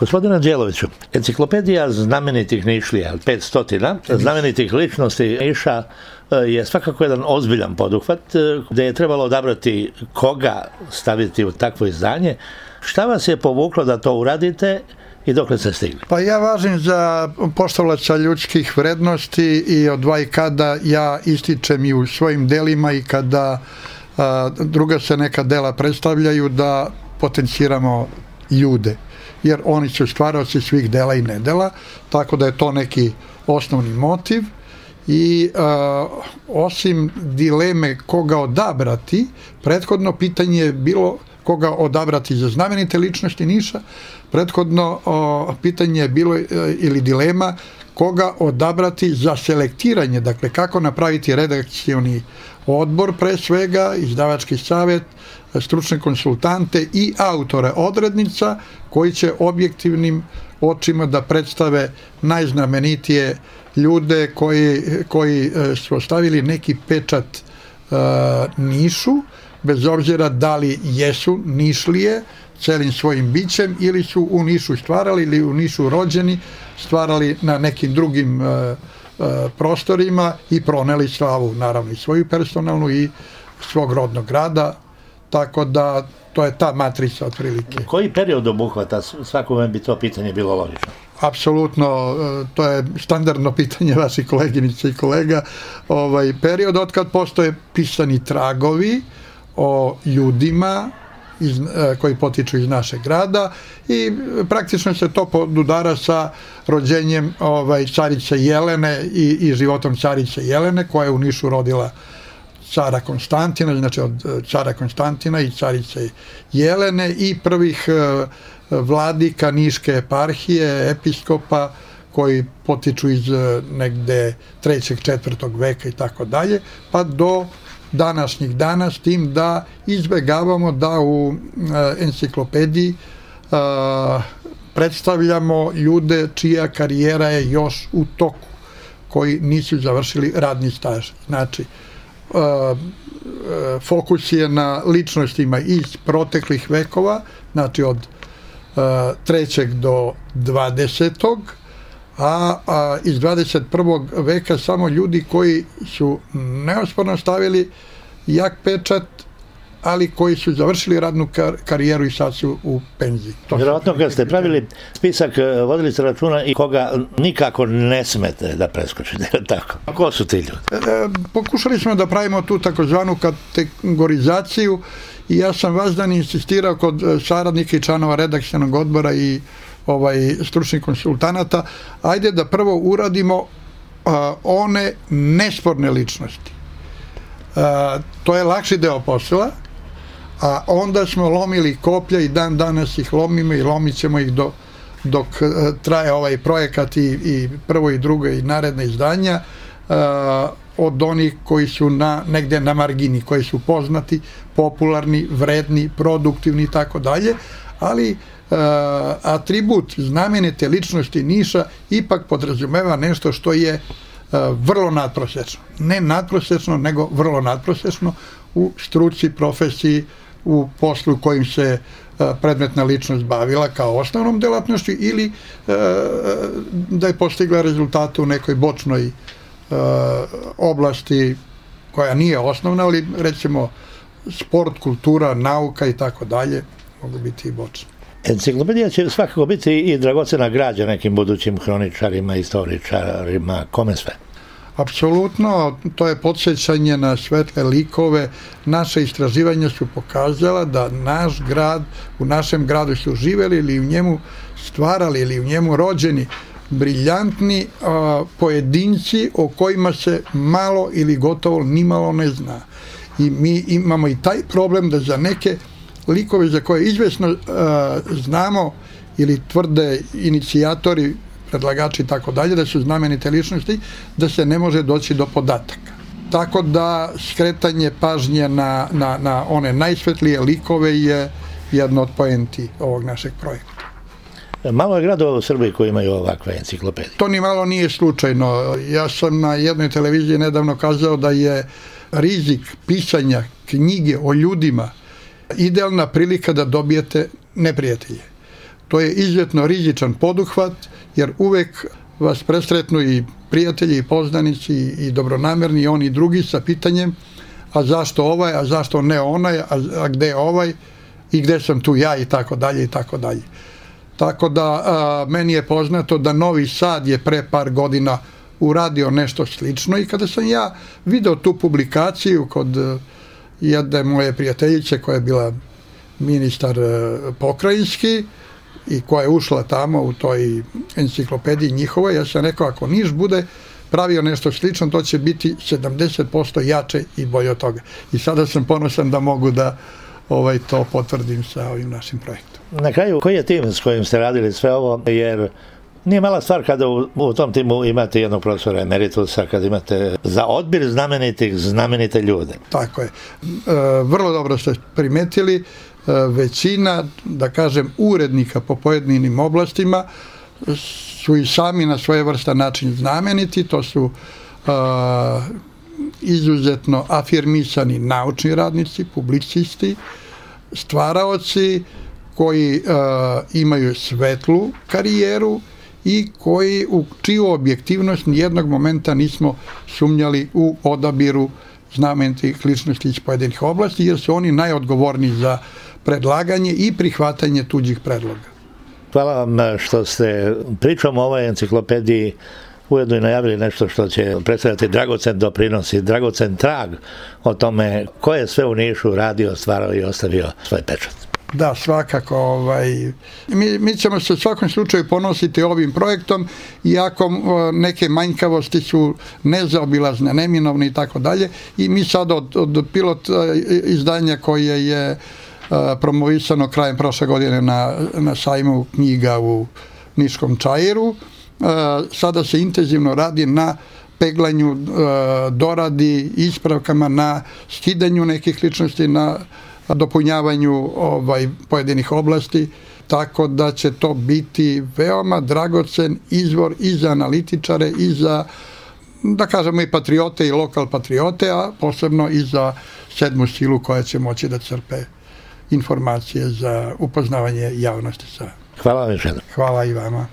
Gospodine Đeloviću, enciklopedija znamenitih Nišlija, 500 znamenitih ličnosti Niša je svakako jedan ozbiljan poduhvat gde je trebalo odabrati koga staviti u takvo izdanje. Šta vas je povuklo da to uradite i dokle ste stigli? Pa ja važim za poštovalaca ljudskih vrednosti i odvaj kada ja ističem i u svojim delima i kada druga se neka dela predstavljaju da potenciramo ljude, jer oni su stvaraoci svih dela i nedela, tako da je to neki osnovni motiv. I osim dileme koga odabrati, prethodno pitanje je bilo koga odabrati za znamenite ličnosti Niša, prethodno pitanje je bilo ili dilema koga odabrati za selektiranje, dakle kako napraviti redakcioni odbor pre svega, izdavački savet, stručne konsultante i autore odrednica koji će objektivnim očima da predstave najznamenitije ljude koji su ostavili neki pečat Nišu, bez obzira da li jesu Nišlije celim svojim bićem ili su u Nišu stvarali ili u Nišu rođeni, stvarali na nekim drugim prostorima i proneli slavu, naravno i svoju personalnu i svog rodnog grada, tako da to je ta matrica otprilike. Koji period obuhvata? Svakome bi to pitanje bilo logično. Apsolutno, to je standardno pitanje vaših koleginica i kolega. Period od kad postoje pisani tragovi o ljudima koji potiču iz našeg grada i praktično se to podudara sa rođenjem carice Jelene i životom carice Jelene koja je u Nišu rodila cara Konstantina, znači od cara Konstantina i carice Jelene i prvih vladika Niške eparhije, episkopa koji potiču iz negde 3. 4. veka i tako dalje, pa do današnjih dana, s tim da izbegavamo da u enciklopediji predstavljamo ljude čija karijera je još u toku, koji nisu završili radni staž. Znači, fokus je na ličnostima iz proteklih vekova, znači od 3. do 20. a iz 21. veka samo ljudi koji su neosporno stavili jak pečat, ali koji su završili radnu karijeru i sad su u penziji. Vjerovatno kad ste pravili spisak, vodili ste računa i koga nikako ne smete da preskočite, tako? A ko su ti ljudi? Pokušali smo da pravimo tu takozvanu kategorizaciju i ja sam vas dan insistirao kod saradnika i članova redakcionog odbora i stručnih konsultanata, ajde da prvo uradimo one nesporne ličnosti. To je lakši deo posla, a onda smo lomili koplja i dan danas ih lomimo i lomit ćemo ih dok traje ovaj projekat i prvo i drugo i naredne izdanja od onih koji su negde na margini, koji su poznati, popularni, vredni, produktivni i tako dalje, ali atribut znamenite ličnosti Niša ipak podrazumeva nešto što je vrlo nadprosečno. Ne nadprosečno, nego vrlo nadprosečno u struci, profesiji, u poslu kojim se predmetna ličnost bavila kao osnovnom delatnošću ili da je postigla rezultate u nekoj bočnoj oblasti koja nije osnovna, ali recimo sport, kultura, nauka i tako dalje mogu biti i bočne. Enciklopedija će svakako biti i dragocena građa nekim budućim hroničarima, istoričarima, kome sve? Apsolutno, to je podsjećanje na svetle likove. Naše istraživanja su pokazala da naš grad, u našem gradu su živeli ili u njemu stvarali ili u njemu rođeni briljantni pojedinci o kojima se malo ili gotovo nimalo ne zna. I mi imamo i taj problem da za neke likove za koje izvesno znamo ili tvrde inicijatori, predlagači i tako dalje, da su znamenite ličnosti, da se ne može doći do podataka. Tako da skretanje pažnje na one najsvetlije likove je jedno od poenti ovog našeg projekta. Malo je gradova u Srbiji koji imaju ovakve enciklopedije. To ni malo nije slučajno. Ja sam na jednoj televiziji nedavno kazao da je rizik pisanja knjige o ljudima idealna prilika da dobijete neprijatelje. To je izuzetno rizičan poduhvat, jer uvek vas presretnu i prijatelji i poznanici i dobronamerni i oni drugi sa pitanjem a zašto ovaj, a zašto ne onaj, a gde je ovaj i gde sam tu ja i tako dalje i tako dalje. Tako da meni je poznato da Novi Sad je pre par godina uradio nešto slično i kada sam ja video tu publikaciju kod jedne moje prijateljice koja je bila ministar pokrajinski i koja je ušla tamo u toj enciklopediji njihovoj, ja sam rekao ako Niš bude pravio nešto slično, to će biti 70% jače i bolje od toga. I sada sam ponosan da mogu da to potvrdim sa ovim našim projektom. Na kraju, koji je tim s kojim ste radili sve ovo, jer nije mala stvar kada u tom timu imate jednog profesora emeritusa, kada imate za odbir znamenite ljude. Tako je. Vrlo dobro ste primetili, većina, da kažem, urednika po pojedinim oblastima su i sami na svojevrstan način znameniti, to su izuzetno afirmisani naučni radnici, publicisti, stvaraoci koji imaju svetlu karijeru i koji u čiju objektivnost nijednog momenta nismo sumnjali u odabiru znamenitih ličnosti iz pojedinih oblasti, jer su oni najodgovorniji za predlaganje i prihvatanje tuđih predloga. Hvala vam što ste pričom o ovoj enciklopediji ujedno i najavili nešto što će predstavljati dragocen doprinos i dragocen trag o tome ko je sve u Nišu radio, stvarao i ostavio svoj pečat. Da, svakako. Mi ćemo se u svakom slučaju ponositi ovim projektom, iako neke manjkavosti su nezaobilazne, neminovne i tako dalje. I mi sad od pilot izdanja koje je promovisano krajem prošle godine na sajmu knjiga u Niškom Čairu, sada se intenzivno radi na peglanju, doradi, ispravkama, na skidanju nekih ličnosti, na dopunjavanju pojedinih oblasti, tako da će to biti veoma dragocen izvor i za analitičare i za, da kažemo, i patriote i lokal patriote, a posebno i za sedmu silu koja će moći da crpe informacije za upoznavanje javnosti sa. Hvala vam još jednom. Hvala i vama.